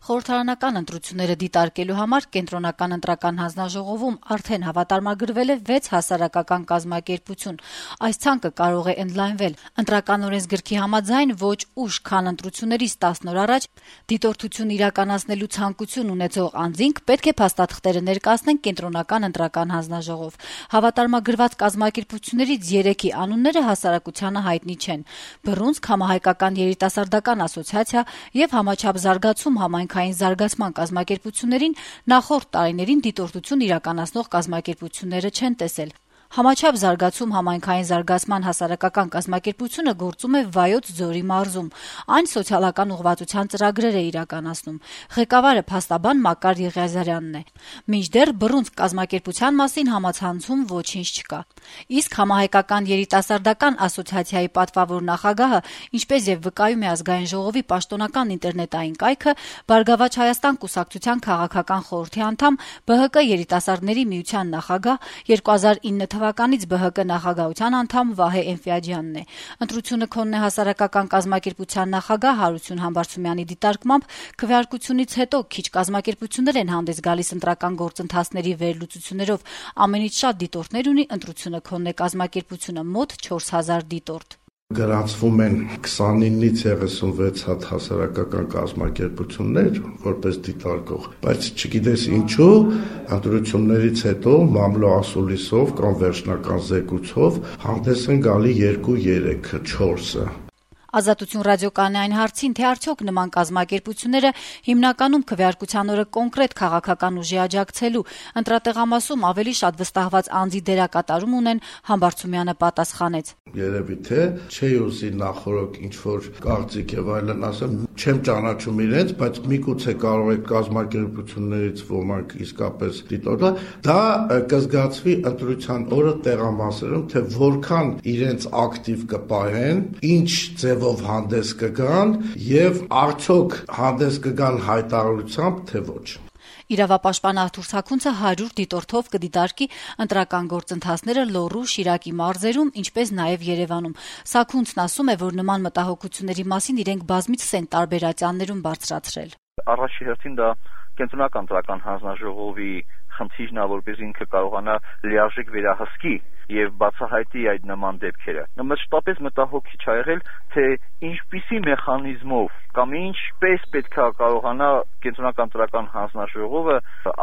Խորհրդարանական ընտրությունները դիտարկելու համար Կենտրոնական ընտրական հանձնաժողովում արդեն հավատարմագրվել է 6 հասարակական կազմակերպություն։ Այս ցանկը կարող է ընդլայնվել։ Ընտրական օրենսգրքի համաձայն ոչ ուշ, քան ընտրություններից 10 օր առաջ դիտորդություն իրականացնելու ցանկություն ունեցող անձինք պետք է փաստաթղթերը ներկայացնեն Կենտրոնական ընտրական հանձնաժողով։ Հավատարմագրված կազմակերպություններից 3-ի անունները հասարակությանը հայտնի չեն։ Բռունցք, Համահայկական երիտասարդական ասոցիացիա եւ Համաչափ զարգացում համայնքային զարգացման կազմակերպություններին նախորդ տարիներին դիտորդություն իրականացնող կազմակերպությունները չեն տեսել։ Համաչափ զարգացում համայնքային զարգացման հասարակական կազմակերպությունը գործում է Վայոց ձորի մարզում։ Այն սոցիալական ուղղվածության ծրագրեր է իրականացնում։ Ղեկավարը փաստաբան Մակար Եղիազարյանն է։ Մինչդեռ բռունցք կազմակերպության մասին համացանցում ոչինչ չկա։ Իսկ Համահայկական երիտասարդական ասոցիացիայի պատվավոր նախագահը, ինչպես եւ վկայում է Ազգային ժողովի պաշտոնական ինտերնետային կայքը, Բարգավաճ Հայաստան կուսակցության քաղաքական խորհրդի անդամ, ԲՀԿ երիտասարդների միության նախագահ, 2009 թվականից ԲՀԿ նախագահության անդամ Վահե Էնֆիաջյանն է։ Ընտրությունը քոնն է հասարակական կազմակերպության նախագահ Հարություն Համբարձումյանի դիտարկմամբ քվեարկությունից հետո քիչ կազմակերպություններ են հանդես գալիս ընտրական գործընթացների վերլուծություններով։ Ամենից շատ դիտորդներ ունի ընտրությունը քոնն է կազմակերպությունը՝ մոտ 4000 դիտորդ։ Գրանցվում են 29-ից 36 հատ հասարակական կազմակերպություններ որպես դիտարկող, բայց չգիտես ինչու ընտրություններից հետո մամլո ասուլիսով կամ վերջնական զեկույցով հանդես են գալի 2-3, 4-ը։ Ազատություն ռադիոկայանի այն հարցին, թե արդյոք նման կազմակերպությունները հիմնականում քվեարկության օրը կոնկրետ քաղաքական ուժի աջակցելու ընտրատեղամասում ավելի շատ վստահված անձի դերակատարում ունեն, Համբարձումյանը պատասխանեց. Երևի թե չի ուզի նախորդ ինչ-որ կարծիք եւ այլն ասեմ, չեմ ճանաչում իրենց, բայց միգուցե կարող է կազմակերպություններից ոմանք իսկապես դիտորդը, դա կզգացվի ընտրության օրը տեղամասերում, թե որքան իրենց ակտիվ կպահեն, ինչ ձևով հանդես կգան եւ արդյոք հանդես կգան հայտարարությամբ, թե ոչ։ Իրավապաշտպան Արթուր Սաքունցը 100 դիտորդով կդիտարկի ընտրական գործընթացները Լոռու, Շիրակի մարզերում, ինչպես նաև Երևանում։ Սաքունցն ասում է, որ նման մտահոգությունների մասին իրենք բազմիցս են տարբերացաններում բարձրացրել։ Առաջի հերթին դա Կենտրոնական ընտրական հանձնաժողովի խնդիրն է, որպես ինքը կարողանա լիարժեք վերահսկի եւ բացահայտի այդ նման դեպքերը։ Մշտապես մտահոգիչ ա եղել, թե ինչպիսի մեխանիզմով կամ ինչպես պետք է կարողանա Կենտրոնական ընտրական հանձնաժողովը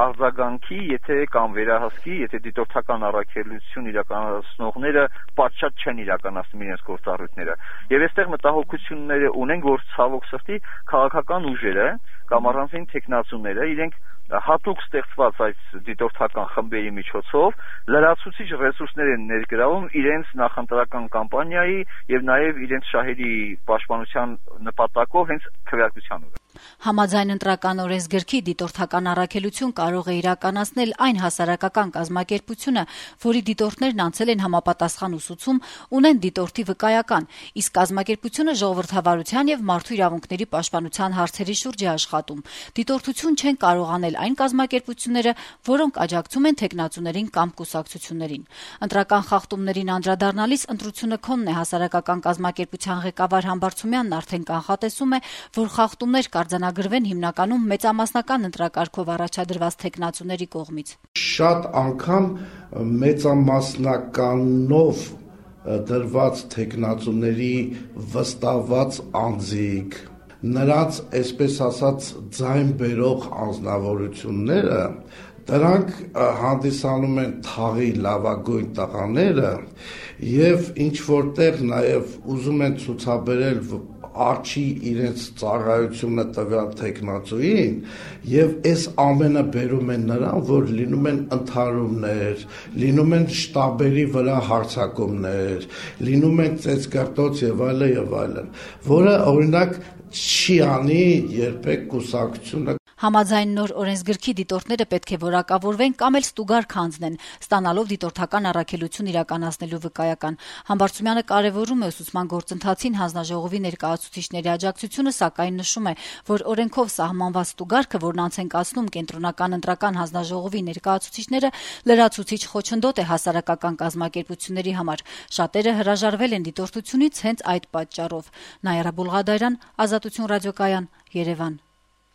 արձագանքի, եթե կամ վերահսկի, եթե դիտորդական առաքելություն իրականացնողները պատշաճ չեն իրականացնում իրենց գործառույթները։ Եվ այստեղ մտահոգությունները ունենք, որ ցավոք սրտի քաղաքական ուժերը կամ առանձին տեխնացուները իրենք հատուկ ստեղծված այս դիտորդական խմբերի միջոցով լրացուցիչ ռեսուրսներ են ներգրավում իրենց նախընտրական կամպանիայի եւ նաեւ իրենց շահերի պաշտպանության նպատակով հենց քվեարկության օրը։ Համաձայն ընտրական օրենսգրքի դիտորդական առաքելություն կարող է իրականացնել այն հասարակական կազմակերպությունը, որի դիտորդներն անցել են համապատասխան ուսուցում, ունեն դիտորդի վկայական, իսկ կազմակերպությունը ժողովրդավարության եւ մարդու իրավունքների պաշտպանության հարցերի շուրջ է աշխատում։ Դիտորդություն չեն կարող անել այն կազմակերպությունները, որոնք աջակցում են թեկնածուներին կամ կուսակցություններին։ Ընտրական խախտումներին անդրադառնալիս ընտրությունը քոնն է հասարակական կազմակերպության ղեկավար Համբարձումյանն արդեն կանխատեսում է, որ խախտումներ արձանագրվեն հիմնականում մեծամասնական ընտրակարգով առաջադրված թեկնածուների կողմից։ Շատ անգամ մեծամասնականով դրված թեկնածուների վստահված անձիկ, նրանց, այսպես ասած, ձայն բերող անձնավորությունները, դրանք հանդիսանում են թաղի լավագույն տղաները եւ ինչ որտեղ նաեւ ուզում են ցուցաբերել արջի իրենց ծառայությունը տվյալ թեկնածուին եւ այս ամենը բերում են նրան, որ լինում են ընդհարումներ, լինում են շտաբերի վրա հարձակումներ, լինում են ծեծկարտոց եւ այլն, որը օրինակ չի անի երբեք կուսակցությունը։ Համաձայն նոր օրենսգրքի դիտորդները պետք է որակավորվեն կամ էլ ստուգար քանձնեն, ստանալով դիտորդական առաքելություն իրականացնելու վկայական։ Համբարձումյանը կարևորում է ուսուցման գործընթացին հանձնաժողովի ներկայացուցիչների աջակցությունը, սակայն նշում է, որ օրենքով սահմանված ստուգարքը, որն անց են կացնում Կենտրոնական ընտրական հանձնաժողովի ներկայացուցիչները, լրացուցիչ խոչընդոտ է հասարակական կազմակերպությունների համար։ Շատերը հրաժարվել են դիտորդությունից հենց այդ պատճառով։ Նաիրա Բուլղադարյան, Ազատություն ռադիոկայան, Երևան։